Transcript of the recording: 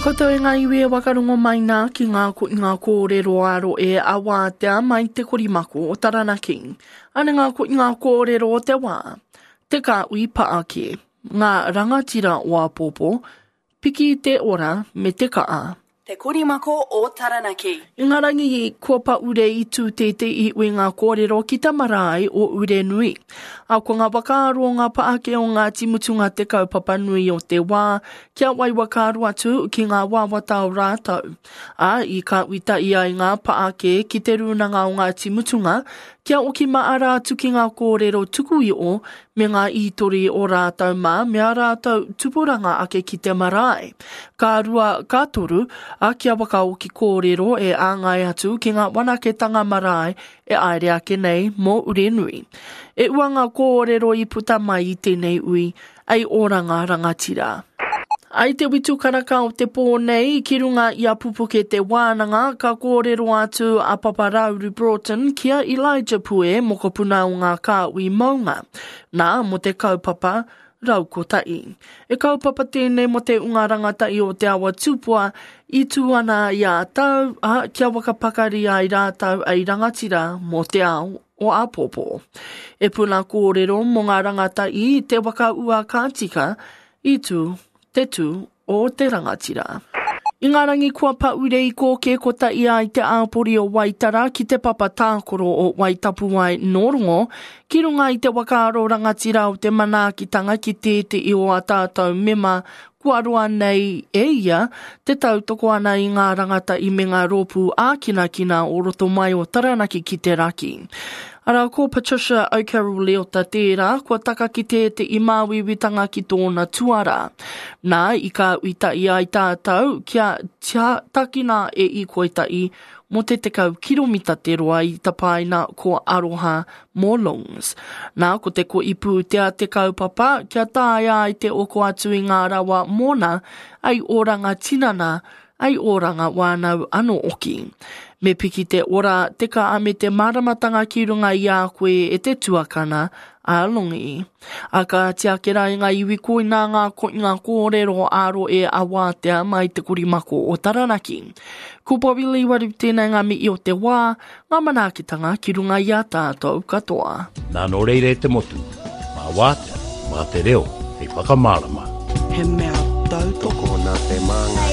Koutou e ngā iwi e wakarongo mai nā ki ngā, ngā kōrero ā rohe a Wātea mai te korimako o Taranaki. Ana ngā, ngā kōrero o te wā, te kāhui paake, ngā rangatira o āpōpō, piki te ora me te kaa. Te Korimako o Taranaki. I ngā rangi kua paure i tū tētehi uinga kōrero ki te marae o Urenui. Ā, ko ngā whakaaro o ngā pāke o Ngāti Mutunga te kaupapa nui o te wā, kia wai whakaaro atu ki ngā wawata o rātou. Ā, i kāuitaia ai ngā pāke ki te Rūnanga o Ngāti Mutunga, kia oki maara atu ki ngā kōrero tuku iho me ngā ītori o rātou mā me ā rātou tupuranga ake ki te marae. Ka rua, ka toru, a kia whakaoki kōrero e āngai atu ki ngā wanaketanga marae e aere ake nei mō Urenui. E ua ngā kōrero i puta mai i tēnei ui, ei oranga rangatira. I te witu karaka o te pō nei, ki runga i a Pupuke Te Wānanga, ka kōrero atu a Papa Rauru Broughton ki a Elijah Pue, mokopuna o ngā kāhui maunga, nā, mō te kaupapa Raukotahi. E kaupapa tēnei mō te unga rangatahi o Te Awa Tupua i tū ana i a tau, ā, kia whakapakari ai rātou hei rangatira mō te ao o āpōpō. E puna kōrero mō ngā rangatahi i te waka ua ka tika, I tū te tū o te rangatira. I ngā rangi kua paure i kōkē kotahi ai te āpori o Waitara ki te papa tākoro o Waitapuwae Nōrongo ki runga i te whakaaro rangatira o te manaakitanga ki tētehi o ā tātou mema kua roa nei e ia te tautoko ana i ngā rangatahi me ngā rōpū ākinakina o roto mai o Taranaki ki te raki. Arā, ko Patricia O'Carroll Leota tērā, kua taka ki tētehi māuiuitanga ki tōna tuarā. Nā, i kāuitahi ai tātou kia takina e Ikoitahi mō te 10 kiromita te roa i tapaina ko Aroha mō Lungs. Nā, ko te kohi pūtea te kaupapa kia taea ai te oko atu i ngā rawa mōna, ai oranga tinana, ai oranga wānau anō oki. Me piki te ora, te kaa me te māramatanga ki runga i a koe e te tuakana a Longi. A kāti ake rā i ngā iwi koinā ngā koinga kōrero ā-rohe a Wātea mai te korimako o Taranaki. Ko Bobby Lee Waru tēnei ngā mihi o te wā, ngā manaakitanga ki runga i a tātou katoa. Nā nō reira e te motu, mā Wātea, mā te reo hei whakamārama. He mea tautoko nā te māngai.